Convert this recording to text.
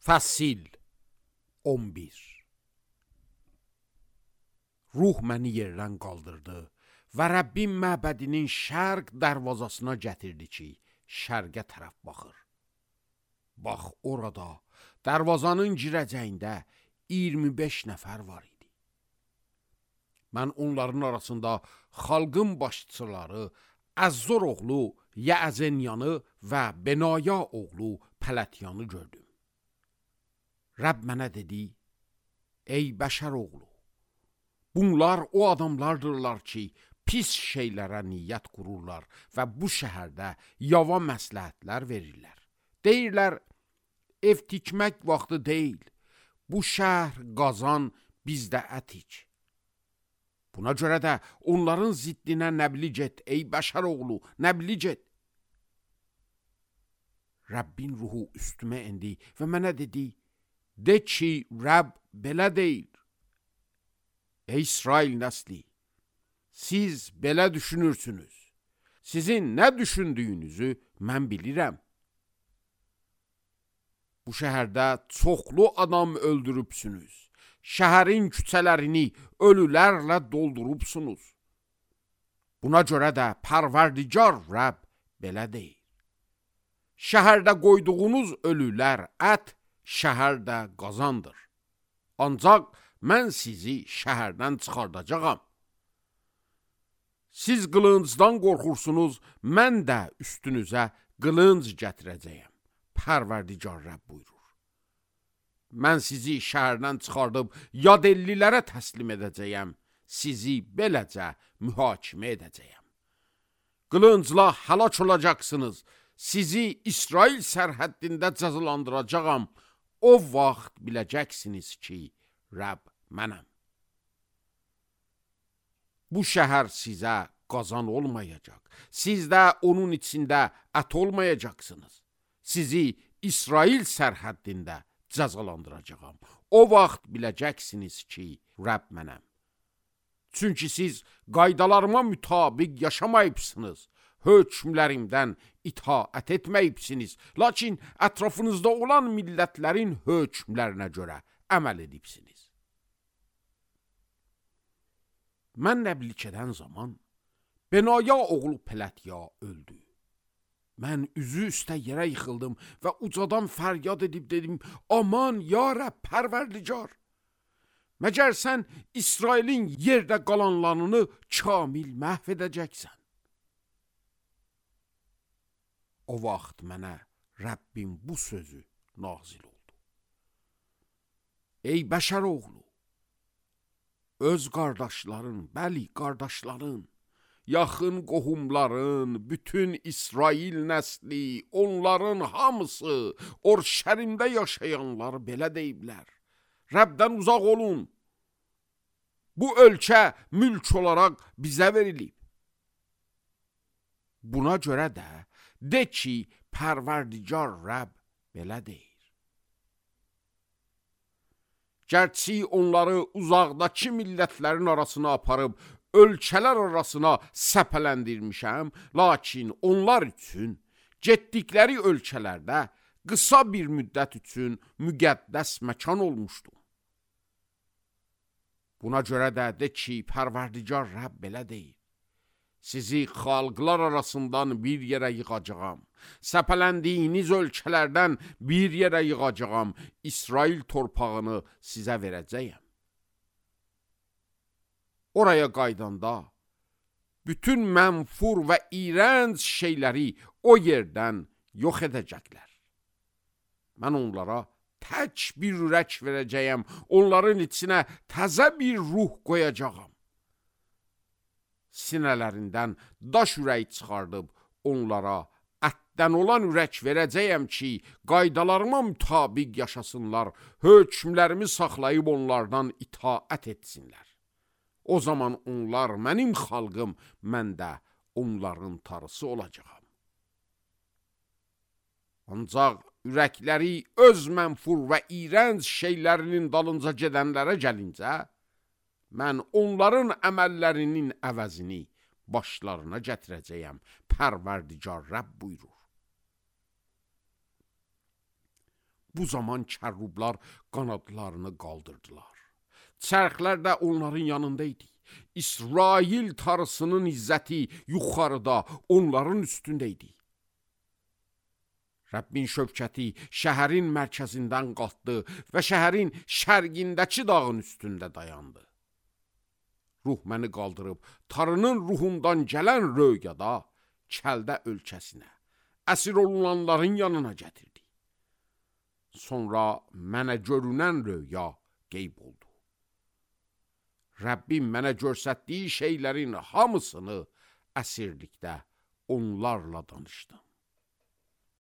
Fəsil 11. Ruh məni yerdən qaldırdı və Rəbbim məbədinin şərq dərvazasına gətirdi ki, şərqə tərəf baxır. Bax, orada dərvazanın girəcəyində 25 nəfər var idi. Mən onların arasında xalqın başçıları Əzzor oğlu Yəəzenyanı və Benaya oğlu Pələtyanı gördüm. Rəbb mənə dedi, ey bəşər oğlu, bunlar o adamlardırlar ki, pis şeylərə niyyət qururlar və bu şəhərdə yava məsləhətlər verirlər. Deyirlər, ev tikmək vaxtı deyil, bu şəhər qazan, bizdə ət iç. Buna görə də onların ziddinə nəbli get, ey bəşər oğlu, nəbli get. Rəbbin ruhu üstümə indi və mənə dedi, de ki, Rəbb belə deyir. Ey İsrail nəsli, siz belə düşünürsünüz. Sizin nə düşündüyünüzü mən bilirəm. Bu şəhərdə çoxlu adam öldürübsünüz. Şəhərin küçələrini ölülərlə doldurubsunuz. Buna görə də Pərverdigar Rəbb belə deyir. Şəhərdə qoyduğunuz ölülər ət, şəhərdə qazandır. Ancaq mən sizi şəhərdən çıxardacağam. Siz qılıncdan qorxursunuz, mən də üstünüzə qılınc gətirəcəyəm. Pərverdigar Rəbb buyurur. Mən sizi şəhərdən çıxardıb yad ellilərə təslim edəcəyəm. Sizi beləcə mühakimə edəcəyəm. Qılıncla həlak olacaqsınız. Sizi İsrail sərhəddində cəzalandıracağam. O vaxt biləcəksiniz ki, Rəbb mənəm. Bu şəhər sizə qazan olmayacaq. Siz də onun içində ət olmayacaqsınız. Sizi İsrail sərhəddində cəzalandıracağam. O vaxt biləcəksiniz ki, Rəbb mənəm. Çünki siz qaydalarıma mütabiq yaşamayıbsınız. Hökmlərimdən itaət etməyibsiniz. Lakin ətrafınızda olan millətlərin hökmlərinə görə əməl edibsiniz. Mən nəblik edən zaman Benaya oğlu Pələtya öldü. Mən üzü üstə yerə yıxıldım və ucadan fəryad edib dedim, aman ya Rəbb Pərverdigar, məgər sən İsrailin yerdə qalanlarını kamil məhv edəcəksən? O vaxt mənə Rəbbin bu sözü nazil oldu. Ey bəşər oğlu, öz qardaşların, bəli qardaşların, yaxın qohumların, bütün İsrail nəsli, onların hamısı, Orşəlimdə yaşayanlar belə deyiblər. Rəbdən uzaq olun. Bu ölkə mülk olaraq bizə verilib. Buna görə də de ki, Pərverdigar Rəbb belə deyir. Gərçi onları uzaqdakı millətlərin arasına aparıb, ölkələr arasına səpələndirmişəm, lakin onlar üçün getdikləri ölkələrdə qısa bir müddət üçün müqəddəs məkan olmuşdu. Buna görə də de ki, Pərverdigar Rəbb belə deyir. Sizi xalqlar arasından bir yerə yığacağam. Səpələndiyiniz ölkələrdən bir yerə yığacağam. İsrail torpağını sizə verəcəyəm. Oraya qaydanda bütün mənfur və iyrənc şeyləri o yerdən yox edəcəklər. Mən onlara tək bir ürək verəcəyəm. Onların içinə təzə bir ruh qoyacağam. Sinələrindən daş ürək çıxardıb onlara ətdən olan ürək verəcəyəm ki, qaydalarıma mütabiq yaşasınlar, hökmlərimi saxlayıb onlardan itaət etsinlər. O zaman onlar mənim xalqım, mən də onların tarısı olacağam. Ancaq ürəkləri öz mənfur və iyrənc şeylərinin dalınca gedənlərə gəlincə, mən onların əməllərinin əvəzini başlarına gətirəcəyəm. Pərverdigar Rəbb buyurur. Bu zaman kərrublar qanadlarını qaldırdılar. Çərxlər də onların yanındaydı. İsrail tarısının izzəti yuxarıda onların üstündəydi. Rəbbin şövkəti şəhərin mərkəzindən qalxdı və şəhərin şərqindəki dağın üstündə dayandı. Ruh məni qaldırıb tarının ruhundan gələn röyada Kəldə ölkəsinə, əsir olunanların yanına gətirdi. Sonra mənə görünən röya qeyb oldu. Rəbbim mənə göstərdiyi şeylərin hamısını əsirlikdə onlarla danışdım.